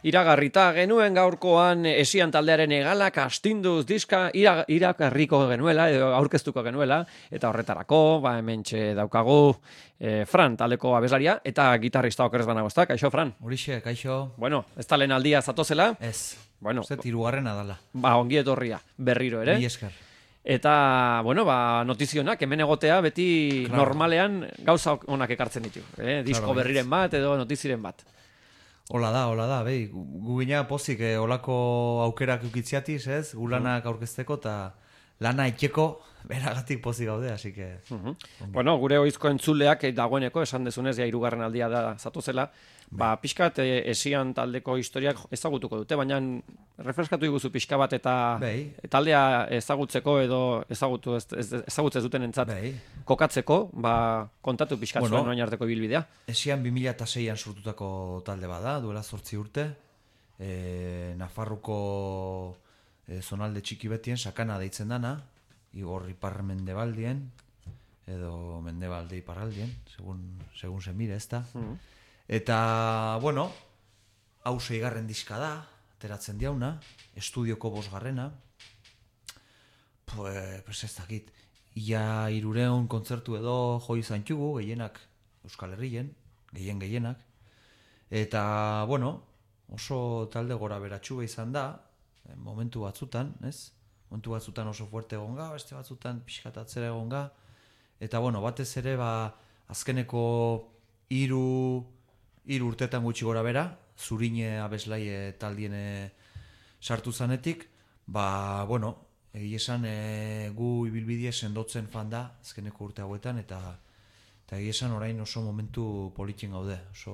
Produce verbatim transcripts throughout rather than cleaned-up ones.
Iragarrita genuen gaurkoan Esian taldearen egalak astinduz diska ira, iragarriko genuela edo aurkeztuko genuela eta horretarako ba hementxe daukagu e, Fran taldeko abeslaria eta gitarrista okerrez banago, ezta? Kaixo Fran. Horixe, kaixo. Bueno, ez da lehen aldia zatozela? Ez. Bueno, Uste hirugarrena dala. Ba, ongi etorria berriro ere. Mila esker. Eta, bueno, ba, notizionak, hemen egotea beti Claro. Normalean gauza onak ekartzen ditu. Eh? Disko Claro, berriren bat edo notiziren bat. Hola da, hola da, behi, gu gina pozik eh, olako aukerak ukitziatiz, ez? Gu lanak aurkezteko eta lana itxeko beragatik pozik gaude, así que... Uh-huh. Bueno, gure oizko entzuleak dagoeneko, esan dezunez, ja hirugarren aldia da zatozela, ba, pixkat eh, Esian taldeko historiak ezagutuko dute, baina refreskatu iguzu pixka bat eta Bai. taldea ezagutzeko edo ezagutu ez, ez, ezagutzez duten entzat Bai. kokatzeko, ba, kontatu pixkat Bueno, zuen orain arteko ibilbidea. Esian bi mila seian sortutako talde bada, duela zortzi urte, e, Nafarruko e, zonalde txiki betien sakana deitzen dana, igor ipar mendebaldien, edo mendebalde iparraldien, segun, segun se mire, ez da. Mhm. Eta, bueno, hau seigarren diska da, ateratzen diauna, estudioko bosgarrena, pues, pues ez dakit, ia irureun kontzertu edo jo izan txugu, gehienak Euskal Herrien, gehien gehienak, eta, bueno, oso talde gora beratxua izan da, momentu batzutan, ez? Momentu batzutan oso fuerte egon ga, beste batzutan pixkat atzera egon ga, eta, bueno, batez ere, ba, azkeneko hiru hiru urtetan gutxi gora bera, Zurine abeslaie taldiene sartu zanetik, ba, bueno, egia esan e, gu ibilbidea sendotzen fan da azkeneko urte hauetan, eta eta egia esan orain oso momentu politxen gaude, oso,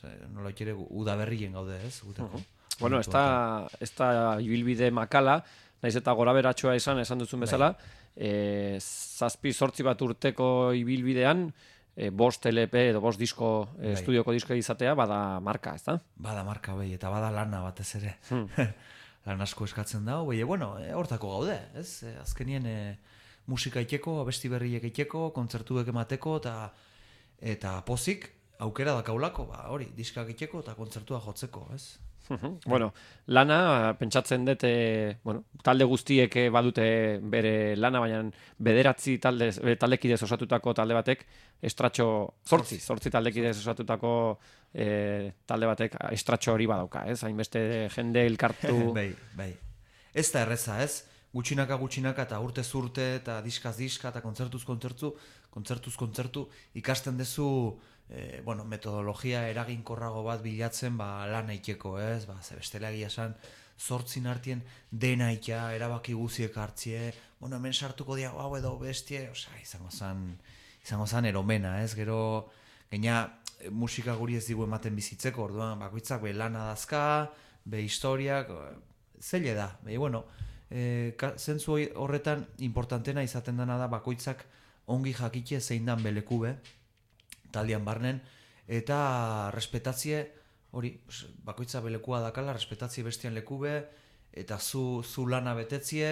ze, nola ere udaberrien gaude, ez? Gutako. Bueno, ez da, ez da ibilbide makala, naiz eta gora beratxoa izan, esan duzun bezala, e, zazpi zortzi bat urteko ibilbidean, e, bost L P edo bost disko, e, Bai. estudioko disko izatea, bada marka, ez da? Bada marka behi, eta bada lana batez ere. Hmm. Lan asko eskatzen dago, behi, bueno, e, hortako gaude, ez? E, azkenien e, musika itxeko, abesti berriek itxeko, kontzertuek emateko, eta eta pozik, aukera dakaulako, ba, hori, diskak itxeko eta kontzertua jotzeko, ez? Bueno, lana, pentsatzen dut, e, bueno, talde guztiek eh, badute bere lana, baina bederatzi talde, eh, taldekidez osatutako talde batek, estratxo, zortzi, zortzi taldekidez osatutako eh, talde batek estratxo hori badauka, ez? Hainbeste jende elkartu... bai, bai. Ez da erreza, ez? Gutxinaka gutxinaka eta urtez urte eta diskaz diska eta kontzertuz kontzertu, kontzertuz kontzertu ikasten dezu e, bueno, metodologia eraginkorrago bat bilatzen ba, lana itxeko, ez? Ba, ze bestela egia esan zortzin artien dena itea, erabaki guziek hartzie, bueno, hemen sartuko diago hau edo bestie, osea, izango zan, izango zan eromena, ez? Gero, gaina musika guri ez digu ematen bizitzeko, orduan, bakoitzak be lana dazka, be historiak, zeile da, be, bueno, e, ka, zentzu horretan importantena izaten dena da bakoitzak ongi jakitxe zein dan belekube, taldean barnen, eta respetatzie, hori, bakoitza belekua dakala, respetatzie bestian lekube, eta zu, zu lana betetzie,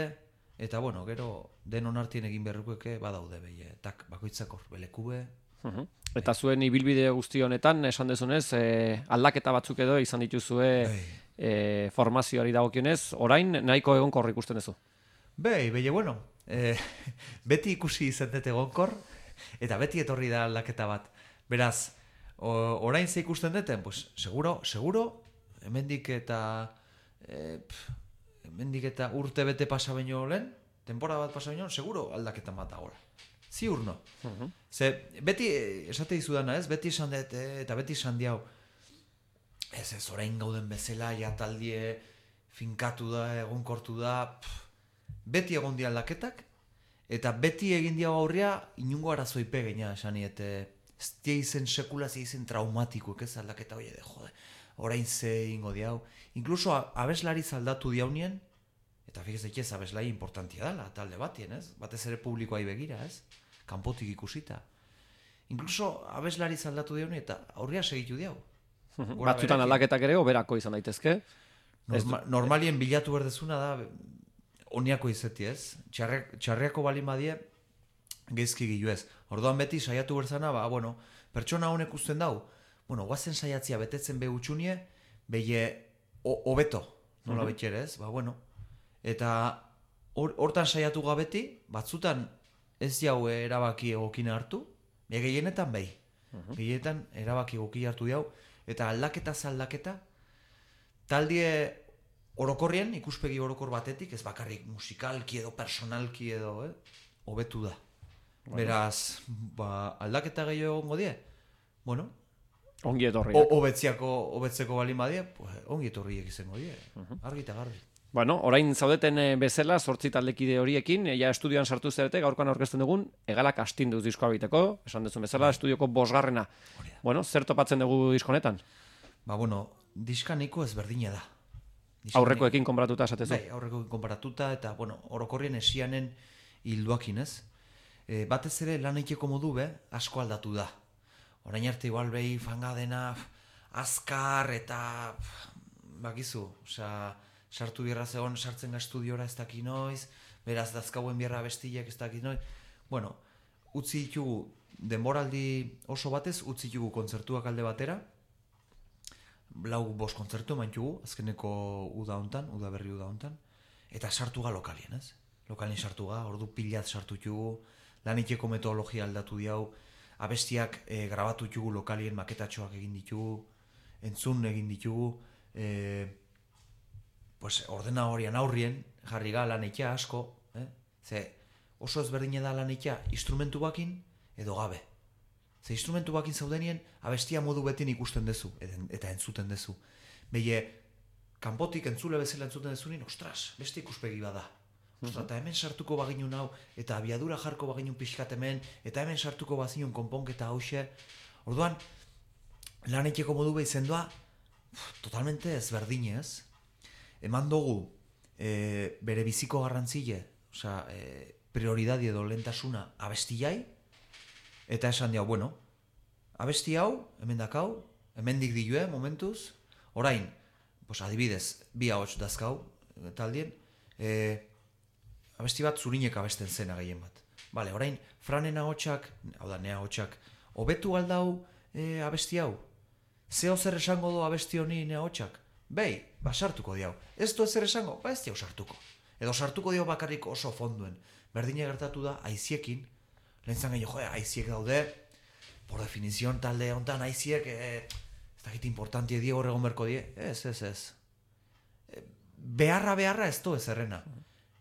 eta bueno, gero denon artien egin berrukueke badaude behi, eta bakoitzak hor belekube. Uh-huh. Eta zuen ibilbide guzti honetan, esan dezunez, eh, aldaketa batzuk edo izan dituzue eh, formazioari dagokionez, orain nahiko egonkor ikusten duzu. Bei, behi, bueno, eh, beti ikusi izatet egonkor, eta beti etorri da aldaketa bat. Beraz, o, orain ze ikusten duten, pues, seguro, seguro, hemendik eta, eh, pf, hemendik eta urte bete pasa baino lehen, temporada bat pasa baino, seguro aldaketan bat dagoela. Ziur no. Uh-huh. Ze, beti, esate dizudana ez, beti esan dut, eta beti esan diau, ez ez, orain gauden bezala, ja taldie finkatu da, egonkortu da, pff, beti egon di aldaketak, eta beti egin diau aurria, inungo arazoipe geina, esani, eta ez die izen sekula, ze izen traumatikoek ez aldaketa, oie, de jode, orain ze ingo diau. Inkluso abeslari zaldatu diaunien, eta fikez ekiez abeslai importantia dela, talde batien, ez? Batez ere publikoai begira, ez? Kanpotik ikusita. Inkluso abeslari zaldatu diauni eta aurria segitu diau. Batzutan aldaketak ere oberako izan daitezke. Norma, normalien bilatu berdezuna da oniako izeti, ez? Txarriak, txarriako bali madie gezki gilu ez. Orduan beti saiatu berzana, ba, bueno, pertsona honek usten dau, bueno, guazen saiatzia betetzen be utxunie, beie hobeto, nola betxere ez, ba bueno. Eta hortan saiatu gabeti, batzutan ez jau erabaki egokina hartu, e gehienetan behi. Uh-huh. Gehienetan erabaki egoki hartu diau, eta aldaketa zaldaketa, taldie orokorrien, ikuspegi orokor batetik, ez bakarrik musikalki edo personalki edo, eh, hobetu da. Bueno. Beraz, ba, aldaketa gehiago egongo die, bueno, ongi etorriak. Hobetziako, hobetzeko balin badie, pues, ongi etorriek izango die, uh-huh. Argi eta garbi. Bueno, orain zaudeten bezala, zortzi taldekide horiekin, ja estudioan sartu zerete, gaurkoan aurkezten dugun, Egalak astinduz diskoa biteko, esan duzun bezala, bai. Estudioko bosgarrena. Bueno, zer topatzen dugu diskonetan? Ba, bueno, diskaniko ezberdina da. Diskaniko, aurrekoekin konparatuta esatezu? Bai, aurrekoekin konparatuta, eta, bueno, orokorrien esianen hilduakin, ez? E, batez ere, lan eiteko modu be, asko aldatu da. Orain arte igual behi fangadena, azkar, eta, bakizu, osea, sartu bierra zegoen, sartzen ga estudiora ez daki noiz, beraz dazkauen bierra bestiak ez daki noiz. Bueno, utzi ditugu, denboraldi oso batez, utzi ditugu kontzertuak alde batera, lau bost kontzertu eman ditugu, azkeneko uda hontan, uda berri uda hontan, eta sartu ga lokalien, ez? Lokalien sartu ga, ordu pilat sartu ditugu, lan iteko metodologia aldatu diau, abestiak e, grabatu ditugu lokalien maketatxoak egin ditugu, entzun egin ditugu, e, pues ordena horian aurrien, jarri ga lan eitea asko, eh? Ze oso ezberdine da lan eitea instrumentu bakin edo gabe. Ze instrumentu bakin zaudenien, abestia modu betin ikusten dezu, eta entzuten dezu. Beie, kanpotik entzule bezala entzuten dezunin, ostras, beste ikuspegi bada. Ostras, eta hemen sartuko baginun hau, eta abiadura jarko baginun pixkat hemen, eta hemen sartuko bazinun konponketa hause. Orduan, lan eiteko modu behi zendoa, totalmente ezberdine ez. Eman dugu e, bere biziko garrantzile, osea, e, prioridadi edo lehentasuna abestiai, eta esan diau, bueno, abesti hau, hemen dakau, hemendik dilue momentuz, orain, pues, adibidez, bi ahots dazkau, taldien, e, abesti bat zurinek abesten zena gehien bat. Bale, orain, Franen ahotsak, hau da, nea ahotsak, hobetu aldau e, abesti hau? Zeo zer esango du abesti honi nea ahotsak? Bei, ba sartuko diau. Ez du ezer esango, ba ez diau sartuko. Edo sartuko diau bakarrik oso fonduen. Berdine gertatu da, aiziekin, lehen zan gehiago, joe, aiziek daude, por definizion talde honetan aiziek, e, ez dakit importantie die horregon berko die, ez, ez, ez. E, beharra, beharra ez du ezerrena.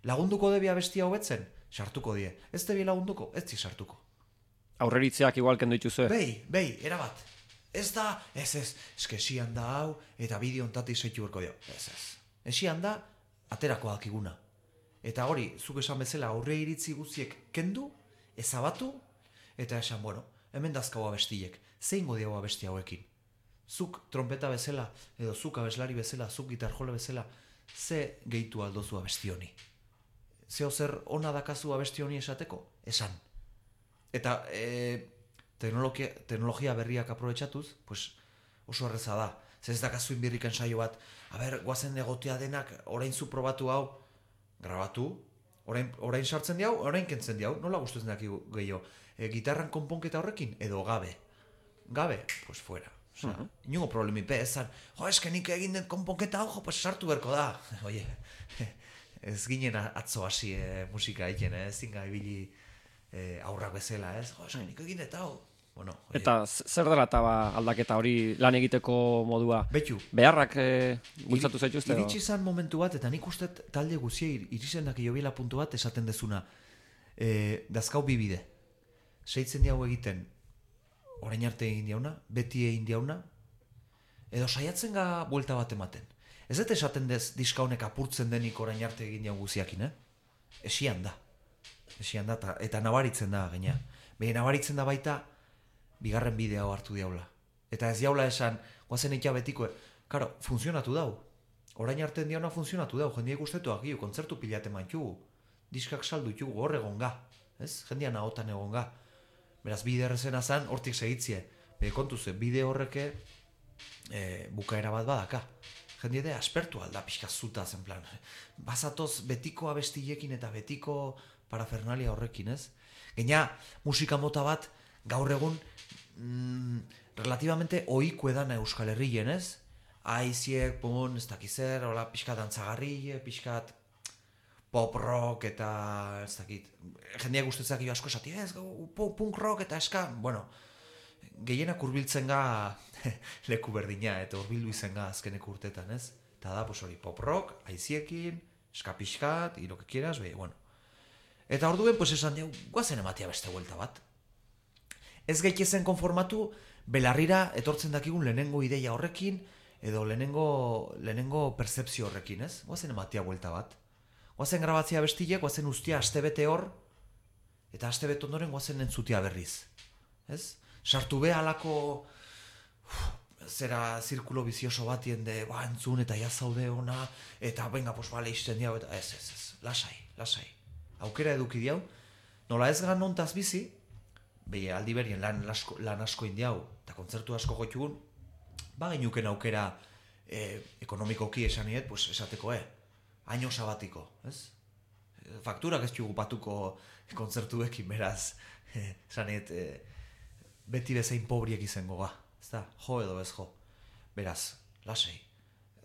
Lagunduko debi abestia hobetzen, sartuko die. Ez debi lagunduko, ez di sartuko. Aurreritzeak igual kendu dituzue. Bei, bei, erabat. Ez da, ez ez, eske esian da hau, eta bideo ontatik zeitu berko dio. Ez ez. Esian da, aterako dakiguna. Eta hori, zuk esan bezala aurre iritzi guztiek kendu, ezabatu, eta esan, bueno, hemen dazkau abestiek, zein godiago abesti hauekin. Zuk trompeta bezala, edo zuk abeslari bezala, zuk gitarjole bezala, ze gehitu aldozu abesti honi. Zeo zer ona dakazu abesti honi esateko? Esan. Eta, e, Teknologia, teknologia berriak aprobetxatuz, pues oso erreza da. Zer ez dakazu inbirrik ensaio bat, a ber, guazen egotea denak, orain zu probatu hau, grabatu, orain, orain sartzen diau, orain kentzen diau, nola guztuzen daki gehiago. E, gitarran konponketa horrekin, edo gabe. Gabe, pues fuera. Osea, uh-huh. Inungo problemi pe, ezan, jo, eske nik egin den konponketa hau, jo, pues sartu berko da. Oie, ez ginen atzo hasi eh, musika egiten, eh? Ez zinga ibili eh, aurrak bezala, ez? Jo, eske nik egin eta hau. Bueno, eta zer dela eta ba, aldaketa hori lan egiteko modua? Betu. Beharrak e, bultzatu zaituzte? Iritsi izan momentu bat, eta nik uste talde guzia iritzen daki jobiela puntu bat esaten dezuna. E, dazkau bibide. Seitzen diago egiten, orain arte egin diauna, beti egin diauna, edo saiatzen ga buelta bat ematen. Ez dut esaten dez diska honek apurtzen denik orain arte egin diago guziakin, eh? Esian da. Esian da, eta, eta nabaritzen da, gaina. Behin nabaritzen da baita, bigarren bidea hartu diaula. Eta ez diaula esan, guazen eitea betiko, karo, funtzionatu dau. Orain arte diauna funtzionatu dau, jendiek ustetu agio, kontzertu pilate mantugu. Diskak saldu txugu, hor egon ga. Ez? Jendian ahotan egon ga. Beraz, bide errezena zan, hortik segitzie. Be, kontuze, bide horreke e, bukaera bat badaka. Jendie de, aspertu alda pixka zuta zen plan. Bazatoz betiko abestilekin eta betiko parafernalia horrekin, ez? Gaina, musika mota bat, gaur egun, mm, relativamente ohiko edana Euskal Herrien, ez? aiziek, pun, ez dakizer, hola, pixkat antzagarri, pixkat pop rock eta, ez dakit, jendeak ustetzak jo asko esati, ez, punk rock eta eska, bueno, gehienak hurbiltzen ga leku berdina, eta hurbildu izen ga azkeneko urtetan, ez? Eta da, pues hori, pop rock, aiziekin, eska pixkat, y lo que quieras, be, bueno. Eta orduen, pues esan dugu, guazen ematea beste vuelta bat. Ez gaitezen konformatu, belarrira etortzen dakigun lehenengo ideia horrekin, edo lehenengo, lehenengo percepzio horrekin, ez? Guazen ematea vuelta bat. Guazen grabatzea bestilek, guazen ustia astebete hor, eta astebete ondoren guazen entzutia berriz. Ez? Sartu be alako uf, zera zirkulo bizioso batien de, ba, entzun eta jazaude ona, eta venga, pues bale, izten diau, eta ez, ez, ez, lasai, lasai. Aukera eduki diau, nola ez gan nontaz bizi, behi aldi berien lan, lasko, lan asko indiau, eta kontzertu asko goitugun, ba genuken aukera eh, ekonomikoki esaniet, pues esateko, eh, año sabatiko, ez? Fakturak ez txugu patuko kontzertuekin, beraz, eh, esaniet, eh, beti bezain pobriek izango ga, ez da, jo edo bez jo. Beraz, lasei,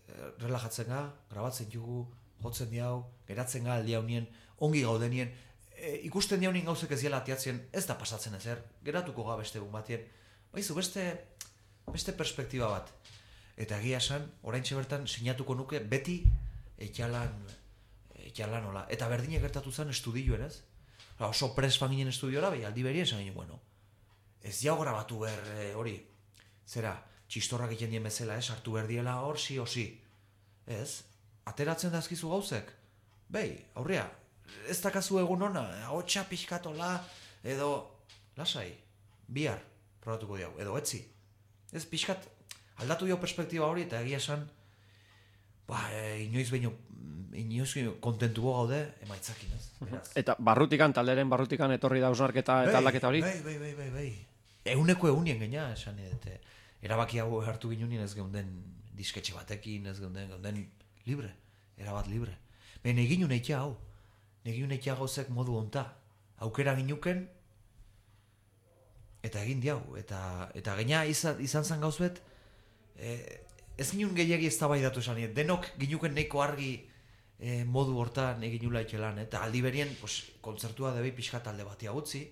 eh, relajatzen ga, grabatzen jugu, jotzen diau, geratzen ga aldi haunien, ongi gaudenien, e, ikusten diaunin gauzek ez diela atiatzen, ez da pasatzen ezer, geratuko ga beste egun batien, baizu, beste, beste perspektiba bat. Eta egia esan, oraintxe bertan sinatuko nuke beti etxalan, etxalan hola. Eta berdinek gertatu zen estudioen, ez? Oso pres fan ginen estudiora, behi aldi berien esan ginen, bueno, ez jau grabatu behar e, hori, zera, txistorrak egiten dien bezala, ez, hartu behar diela hor, si o si. Ez, ateratzen dazkizu gauzek. Behi, aurrea, ez dakazu egun ona, hotxa pixkatola, edo, lasai, bihar, probatuko diau, edo etzi. Ez, pixkat, aldatu dio perspektiba hori, eta egia esan, ba, e, inoiz behin, inoiz kontentu gaude, emaitzakin, ez? Beraz. Eta barrutikan, talderen barrutikan etorri da ausnarketa eta aldaketa hori? Bai, bai, bai, bai, bai. Euneko eunien gaina, esan, eta erabaki hau hartu ginunien ez geunden disketxe batekin, ez geunden, geunden libre, erabat libre. Baina egin uneitea hau, egin uneitea gauzek modu onta, aukera ginuken, eta egin diau, eta, eta gaina izan, izan zan gauzbet, e, ez ginun gehiagi ez tabaidatu esan, denok ginuken neiko argi e, modu hortan egin ula itxelan, eta aldi berien, pues, kontzertua debei pixka talde batia utzi,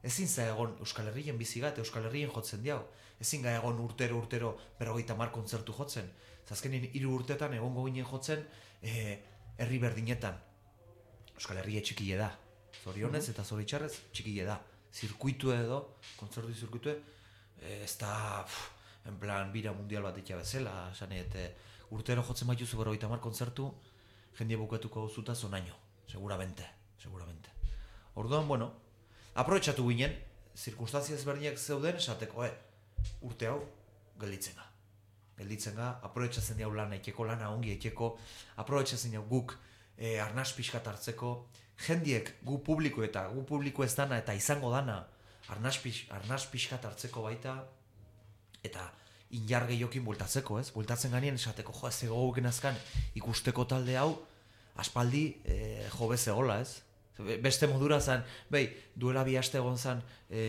ezin za egon Euskal Herrien bizigat, Euskal Herrien jotzen diau, ezin ga egon urtero urtero berrogeita mar kontzertu jotzen, zazkenin hiru urtetan egongo ginen jotzen e, herri berdinetan. Euskal Herria txikile da, zorionez eta zoritxarrez txikile da, zirkuitu edo, kontzertu zirkuitu, e, ez da, pff, en plan, bira mundial bat ikia bezala, sanet, e, urtero jotzen baituzu berrogeita mar kontzertu, jendie bukatuko zuta zonaino, seguramente, seguramente. Orduan, bueno, aprobetxatu ginen, zirkunstantzia ezberdinak zeuden esateko, eh, urte hau, gelditzen ga. Gelditzen ga, aprobetxatzen diau lana, ekeko lana ongi ekeko, aprobetxatzen diau guk e, arnaz pixkat hartzeko, jendiek gu publiko eta gu publiko ez dana eta izango dana arnaz, pix, arnaz pixkat hartzeko baita, eta injar gehiokin bultatzeko, ez? Bultatzen ganien esateko, jo, ez egoguken azkan ikusteko talde hau, aspaldi e, jo bezegola, ez? Beste modura zen, behi, duela bi aste egon zen, e,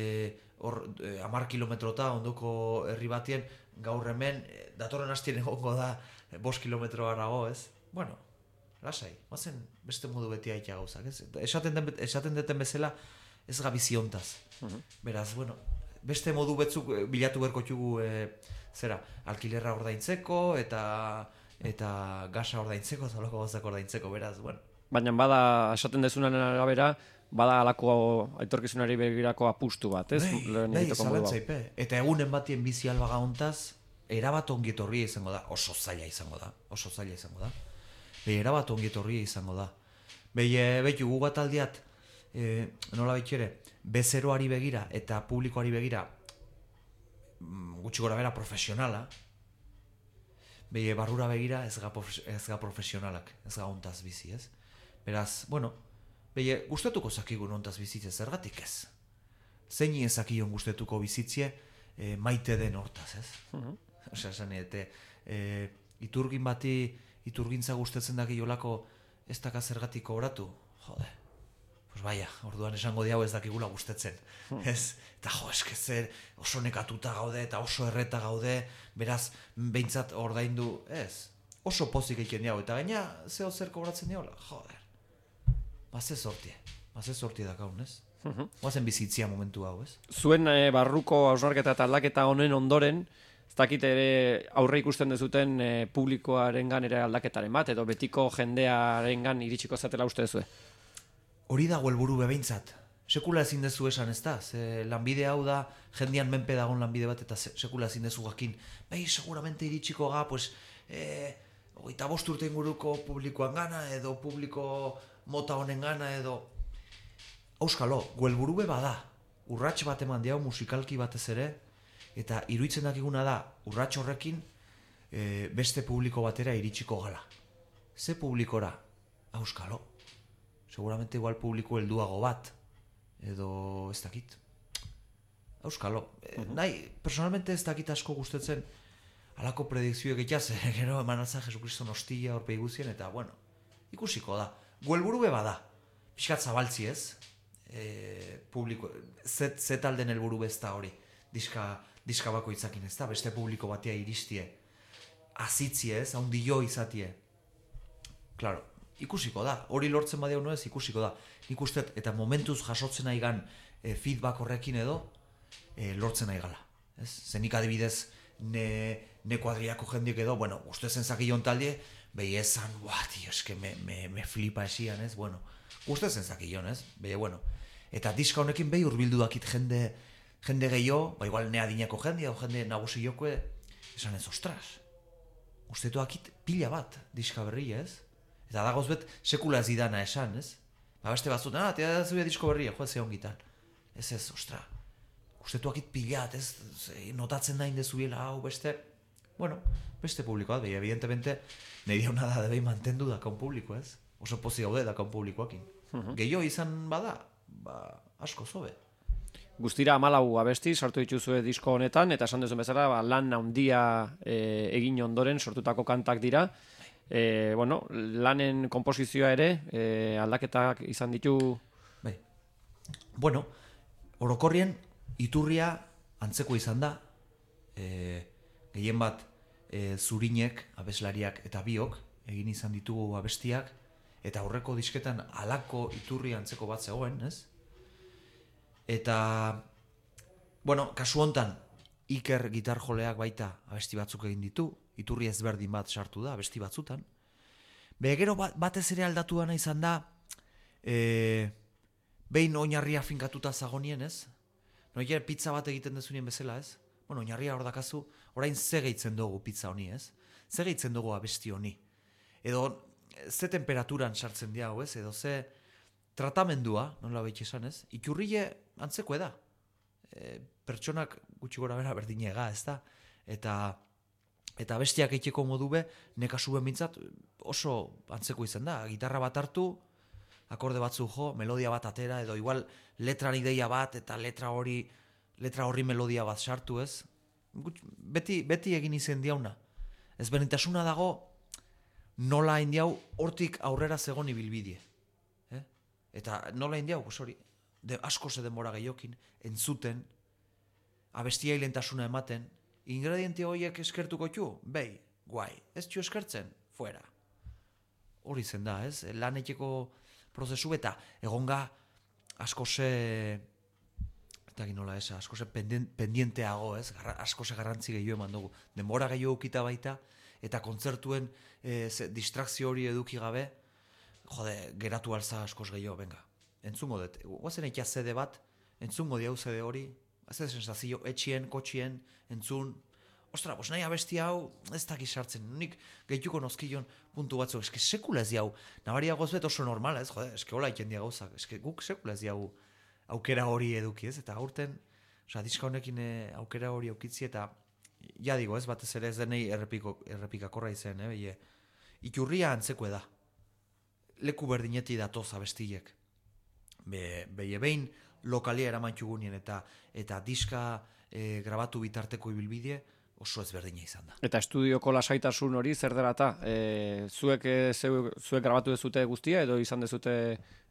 hor, e, amar kilometrota ondoko herri batien, gaur hemen, e, datorren hastien egongo da, e, bost kilometro harago, ez? Bueno, lasai, mazen beste modu beti aitea gauzak, ez? Esaten, den, esaten deten bezala, ez gabiziontaz. Uh-huh. Beraz, bueno, beste modu betzuk bilatu berko txugu, e, zera, alkilerra ordaintzeko, eta, eta gasa ordaintzeko, zaloko gauzak ordaintzeko, beraz, bueno. Baina bada, esaten dezunan arabera, bada alako aitorkizunari begirako apustu bat, ez? Bai, bai, zalantzaipe. Eta egunen batien bizi albaga hontaz, erabat ongietorria izango da, oso zaila izango da, oso zaila izango da. Bai, erabat ongietorria izango da. Bai, e, behitu, gu bat aldiat, e, nola betxere, bezeroari begira eta publikoari begira, gutxi gora bera profesionala, bai, barrura begira ez ga, ez ga profesionalak, ez ga hontaz bizi, ez? Beraz, bueno, behi, gustatuko zakigun hontaz bizitze zergatik ez. Zein ezakion gustatuko bizitzie e, maite den hortaz, ez? Uh-huh. Osea, esan, eta e, iturgin bati, iturgintza gustatzen daki jolako ez daka zergatik oratu, jode. pues baia, orduan esango diau ez dakigula gustetzen. Hmm. Ez, eta jo, eske zer oso nekatuta gaude eta oso erreta gaude, beraz, behintzat ordaindu, ez, oso pozik egiten diau, eta gaina zeo zer kobratzen diaula, joder, baze sortie, baze sortie dakaun, ez? Uh-huh. Oazen bizitzia momentu hau, ez? Zuen e, barruko hausnarketa eta aldaketa honen ondoren, ez dakit ere aurre ikusten dezuten e, publikoarengan ere aldaketaren bat, edo betiko jendearengan iritsiko zatela uste dezue? Hori dago helburu behintzat. Sekula ezin dezu esan, ez da? Ze lanbide hau da, jendian menpe dagon lanbide bat, eta sekula ezin dezu jakin. Bai, seguramente iritsiko ga, pues, eh, oita bost urte inguruko publikoan gana, edo publiko mota honen gana, edo... Auskalo, gu helburu be bada. Urrats bat eman diau musikalki batez ere, eta iruditzen dakiguna da, urrats horrekin e, beste publiko batera iritsiko gala. Ze publikora? Auskalo. Seguramente igual publiko helduago bat, edo ez dakit. Auskalo. E, uh-huh. Nahi, personalmente ez dakit asko gustatzen alako predikzioek egitaz, gero eman altzan Jesukriston hostia horpe iguzien, eta bueno, ikusiko da. Gu helburu be bada. Piskat zabaltzi ez, e, publiko, zet, zet alden helburu bezta hori. Diska, diska bako itzakin ez da, beste publiko batea iristie. Azitzie ez, haundio izatie. Claro, ikusiko da. Hori lortzen badeo no ez, ikusiko da. Nik usteet, eta momentuz jasotzen nahi gan e, feedback horrekin edo, e, lortzen nahi gala. Ez? Zenik adibidez, ne, ne kuadriako jendiek edo, bueno, ustezen zakillon talde, behi esan, buah, tío, eske me, me, me flipa esian, ez? Bueno, ustezen zakillon, ez? Behi, bueno. Eta diska honekin behi urbildu dakit jende, jende gehiago, ba igual ne adinako jende, edo jende nagusi jokoe, esan ez, ostras, ustetu akit pila bat diska berri, ez? Eta dagoz bet, sekula ez idana esan, ez? Ba beste batzut, ah, tia da zuia disko berria, joa ze ongitan. Ez ez, ostra, ustetu akit pilat, ez? Notatzen da indezuela, hau beste, bueno, beste publikoa, behi, evidentemente, nahi diona da debei mantendu dakaun publiko, ez? Oso pozi gaude dakaun publikoakin. Uh-huh. Gehiago izan bada, ba, asko zobe. Guztira amalau abesti sartu dituzue disko honetan, eta esan duzuen bezala, ba, lan handia e, egin ondoren sortutako kantak dira. E, bueno, lanen komposizioa ere, e, aldaketak izan ditu... Bai. Bueno, orokorrien, iturria antzeko izan da, e, gehien bat e, zurinek, abeslariak eta biok, egin izan ditugu abestiak, eta aurreko disketan alako iturri antzeko bat zegoen, ez? Eta, bueno, kasu hontan, Iker gitarjoleak baita abesti batzuk egin ditu, iturri ezberdin bat sartu da, abesti batzutan. Be, gero batez ere aldatu dana izan da, e, behin oinarria finkatuta zagonien, ez? Noier pizza bat egiten dezunien bezala, ez? Bueno, oinarria hor dakazu, orain ze gehitzen dugu pizza honi, ez? Ze gehitzen dugu abesti honi? Edo, ze temperaturan sartzen diago, ez? Edo ze tratamendua, nola behitxe esan, ez? Iturrie antzeko da. E, pertsonak gutxi gora bera berdinega, ez da? Eta... Eta bestiak eiteko modu be, nekasu ben bintzat oso antzeko izan da. Gitarra bat hartu, akorde batzu jo, melodia bat atera, edo igual letran ideia bat, eta letra hori letra horri melodia bat sartu, ez? Beti, beti egin izen diauna. Ez benitasuna dago, nola indiau hortik aurrera zegon ibilbidie. Eh? Eta nola indiau, pues hori, de, asko ze denbora gehiokin, entzuten, abestia hilentasuna ematen, ingrediente horiek eskertuko txu? Bei, guai. Ez txu eskertzen? Fuera. Hori zen da, ez? Laneteko prozesu eta egonga asko ze... Eta ginola ez, asko ze pendienteago, ez? Garra, asko ze garrantzi gehiago eman dugu. Denbora gehiago ukita baita, eta kontzertuen e, ze, distrakzio hori eduki gabe, jode, geratu alza askoz gehiago, venga. Entzungo dut. Guazen eikia zede bat, entzungo diau zede hori, ez da sensazio, etxien, kotxien, entzun, ostra, bos nahi abesti hau, ez dakiz sartzen, nik gehituko nozkillon puntu batzuk, eske sekula ez diau, nabaria gozbet oso normala, ez, jode, eske hola iken dia gauzak, eske guk sekula ez diau aukera hori eduki, ez, eta gaurten, osea, diska honekin aukera hori aukitzi, eta, ja digo, ez, batez ere ez denei errepiko, errepikakorra izen, eh, beie, iturria antzeko da, leku berdineti datoz abestiek, Be, beie behin, lokalia eramantxugunien eta eta diska e, grabatu bitarteko ibilbidie, oso ezberdina izan da. Eta estudioko lasaitasun hori zer dela eta? E, zuek, e, zeu, zuek grabatu dezute guztia edo izan dezute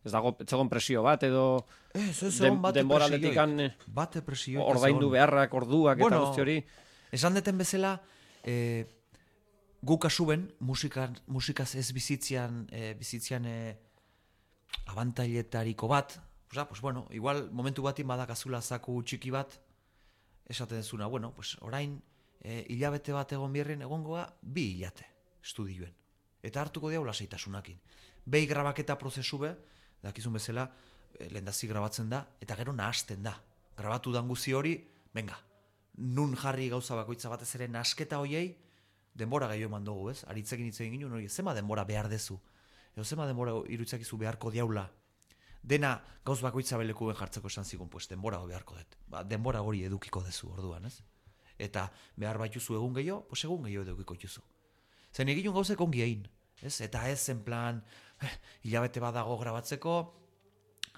ez dago etzegon presio bat edo Ez, ez, den, egon bate denboraldetik bate presioik ez ordaindu egon. beharrak, orduak Bueno, eta guzti hori? Esan deten bezala, e, gu kasuben, musikan, musikaz ez bizitzean, e, bizitzean e, abantailetariko bat, pues, pues bueno, igual momentu batin badakazula zaku txiki bat, esaten dezuna, bueno, pues orain e, hilabete bat egon bierren egongoa bi hilate estudioen. Eta hartuko diau lasaitasunakin. Behi grabaketa prozesu be, dakizun bezala, e, lehendazi grabatzen da, eta gero nahasten da. Grabatu dan guzi hori, venga, nun jarri gauza bakoitza batez ere nasketa hoiei, denbora gehiago eman dugu, ez? Aritzekin hitz egin ginen, hori, zema denbora behar dezu? Edo zema denbora irutzakizu beharko diaula? Dena gauz bakoitza belekuen jartzeko esan zigun, pues denbora beharko dut. Ba, denbora hori edukiko dezu orduan, ez? Eta behar baituzu egun gehiago, pues egun gehiago edukiko juzu. Zen egin gauzek ongi egin, ez? Eta ez en plan, eh, hilabete badago grabatzeko,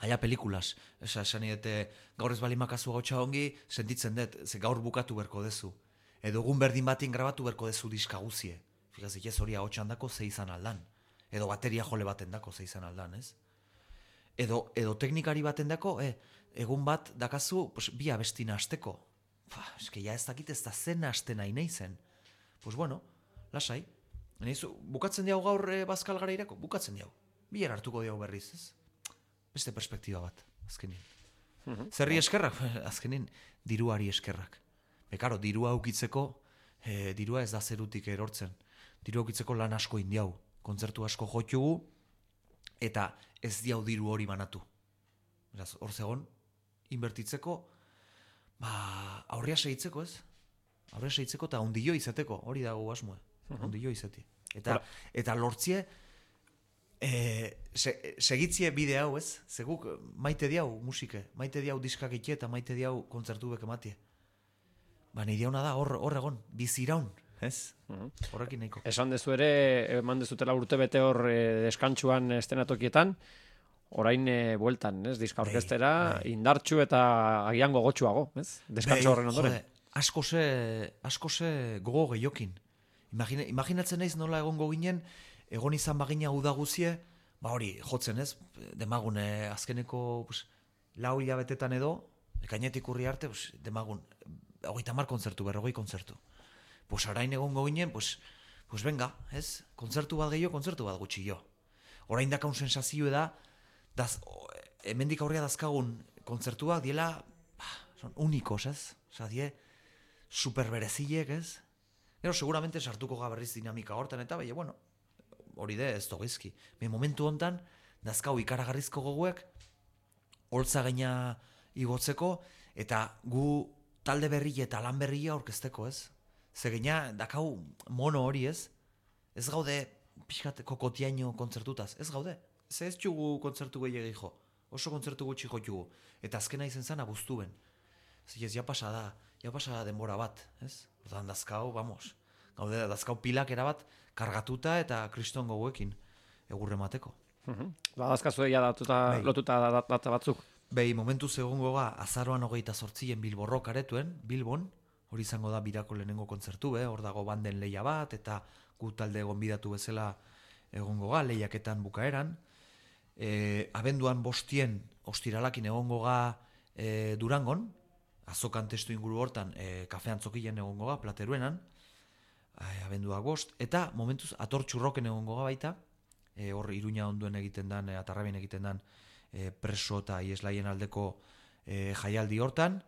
aia pelikulas. Esa, esan idete, gaur ez bali makazu gautxa ongi, sentitzen dut, ze gaur bukatu berko dezu. Edo egun berdin batin grabatu berko dezu diska guzie. Fikazik ez hori ahotsan dako ze izan aldan. Edo bateria jole baten dako ze izan aldan, ez? Edo, edo teknikari baten dako, eh, egun bat dakazu, pues, bi abestina hasteko. Fa, eske ja ez dakit ez da zen haste nahi nahi zen. Pues bueno, lasai. Neizu, bukatzen diau gaur e, bazkal gara irako? Bukatzen diau. Bier hartuko diau berriz, ez? Beste perspektiba bat, azkenin. Mhm. Zerri eskerrak? Azkenin, diruari eskerrak. Bekaro, dirua aukitzeko, e, dirua ez da zerutik erortzen. Dirua aukitzeko lan asko indiau. Kontzertu asko jotugu, eta ez diau diru hori manatu. Beraz, hor zegon, inbertitzeko, ba, aurria segitzeko, ez? Aurria segitzeko eta ondio izateko, hori dago asmoe. Uh-huh. Ondio izati. Eta, eta lortzie, e, se, segitzie bide hau, ez? Zeguk maite diau musike, maite diau diskak itxe eta maite diau kontzertu bek ematie. Ba, nahi diauna da, hor, hor egon, biziraun, ez? Uh-huh. Horrekin nahiko. Esan dezu ere, eman dezutela urte bete hor e, deskantxuan estenatokietan, orain e, bueltan, ez? Diska orkestera, bai, indartxu eta agian gogotxuago, ez? Deskantxo horren ondoren. Jode, asko ze, asko ze gogo gehiokin. Imagine, imaginatzen naiz nola egongo ginen, egon izan bagina uda guzie, ba hori, jotzen ez, demagun eh, azkeneko pues, lau hilabetetan edo, ekainetik urri arte, pues, demagun, hogeita hamar kontzertu, berrogei kontzertu. Pues orain egongo ginen, pues, pues venga, ez? Kontzertu bat gehiago, kontzertu bat gutxi jo. Orain dakaun sensazio da, daz, hemendik aurrea dazkagun kontzertuak diela, bah, son unikos, ez? Osa, die, superberezilek, ez? Gero, seguramente sartuko gaberriz dinamika hortan, eta baina, bueno, hori de, ez dogizki. Me momentu hontan, dazkau ikaragarrizko goguek, holtza gaina igotzeko, eta gu talde berri eta lan berria orkesteko, ez? Zegina, dakau mono hori, ez? Ez gaude, pixkat, kokotiaino kontzertutaz, ez gaude? Ze ez txugu kontzertu gehiagi jo, oso kontzertu gutxi jo txugu, eta azkena izen zen abuztuen. Ez, ja pasa da, ja pasa da denbora bat, ez? Ordan dazkau, vamos, gaude, dazkau pilak erabat, kargatuta eta kriston goguekin egurre mateko. Uh-huh. Ba, dazkazu egia datuta, Bei. lotuta data batzuk. Behi, momentu zegongo ga, azaroan hogeita sortzien Bilborro karetuen, Bilbon, hori izango da birako lehenengo kontzertu, eh? Hor dago banden leia bat, eta gu talde gonbidatu bezala egongo ga, lehiaketan bukaeran. E, abenduan bostien ostiralakin egongo ga e, Durangon, azokan testu inguru hortan, e, kafean zokilen egongo ga, plateruenan, e, abenduak bost, eta momentuz ator txurroken egongo ga baita, e, hor Iruña onduen egiten dan, e, atarrabien egiten dan, e, preso eta ieslaien aldeko e, jaialdi hortan,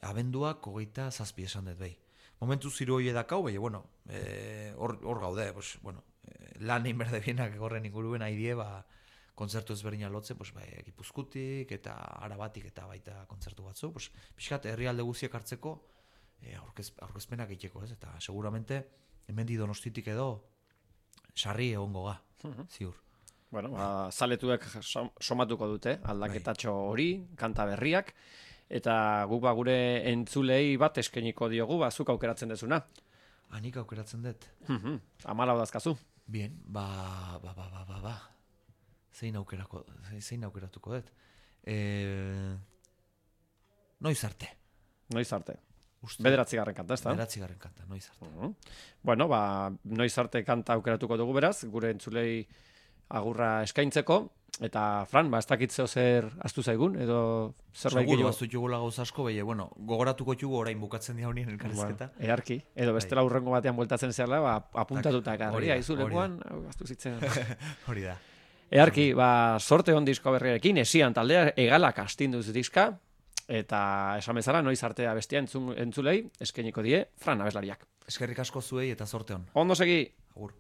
abenduak hogeita zazpi esan dut behi. Momentu ziru hoi edakau, behi, bueno, hor e, gaude, pues, bueno, e, lan egin berde bienak horren inguruen haidie, ba, kontzertu ezberdina lotzen, pues, bai, Gipuzkoatik eta Arabatik eta baita kontzertu batzu, pues, pixkat herrialde guziek hartzeko e, aurkez, aurkezpenak egiteko, ez? Eta seguramente hemendi Donostitik edo sarri egongo ga, ziur. Bueno, ba, zaletuek somatuko dute, aldaketatxo hori, kanta berriak, eta guk ba gure entzulei bat eskeniko diogu, ba, zuk aukeratzen dezuna. Anik aukeratzen dut. Amalau dazkazu. Bien, ba, ba, ba, ba, ba, ba. Zein aukerako, zein aukeratuko dut. E... Noiz arte. Noiz arte. Uste, Bederatzigarren kanta, ez da? Bederatzigarren kanta, noiz arte. Uh -huh. Bueno, ba, noiz arte kanta aukeratuko dugu beraz, gure entzulei agurra eskaintzeko, eta Fran, ba, ez dakitzeo zer astu zaigun, edo zerbait gehiago. Seguro, aztu txugula gauz asko, behi, bueno, gogoratuko txugu orain bukatzen dira honien elkarrizketa. Bueno, earki, edo bestela urrengo batean bueltatzen zela, ba, apuntatuta garri, haizu lekuan, astu zitzen. Hori da. Earki, ba, sorte hon disko berriarekin, esian taldea egalak astinduz diska, eta esan bezala, noiz artea bestia entzun, entzulei, eskainiko die, Fran abeslariak. Eskerrik asko zuei eta sorte hon. Ondo segi! Agur.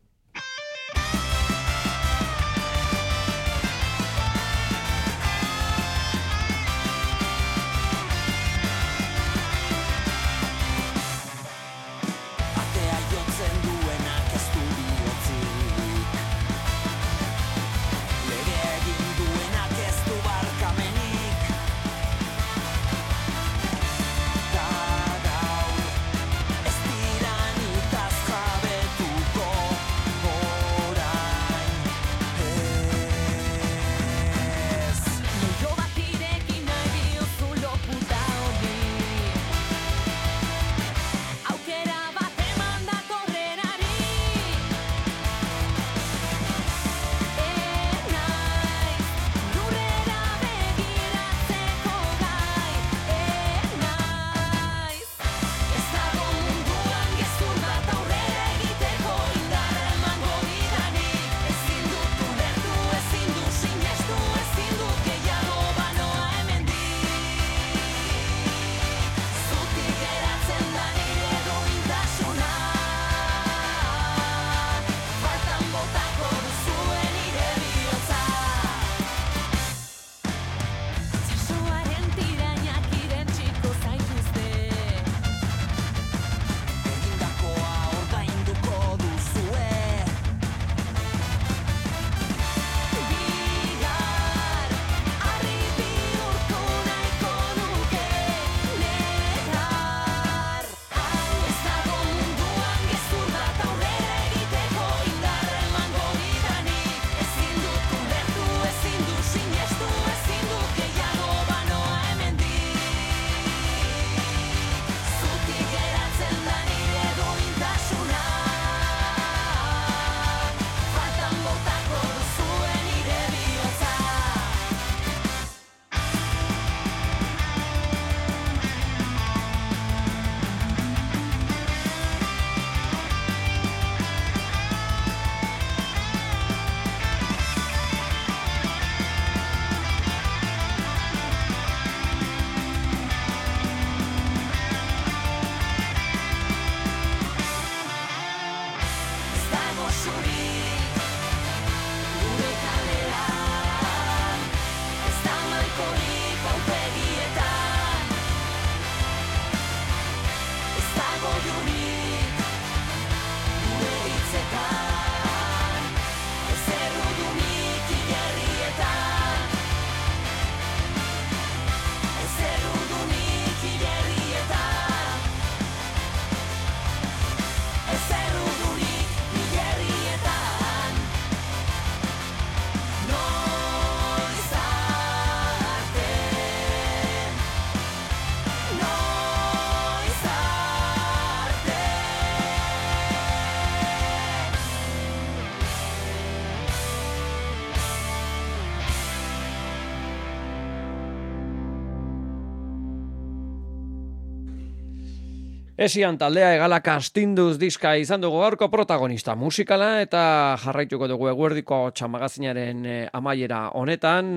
Esian taldea egalak astinduz diska izan dugu gaurko protagonista musikala eta jarraituko dugu eguerdiko txamagazinaren amaiera honetan,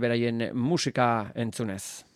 beraien musika entzunez.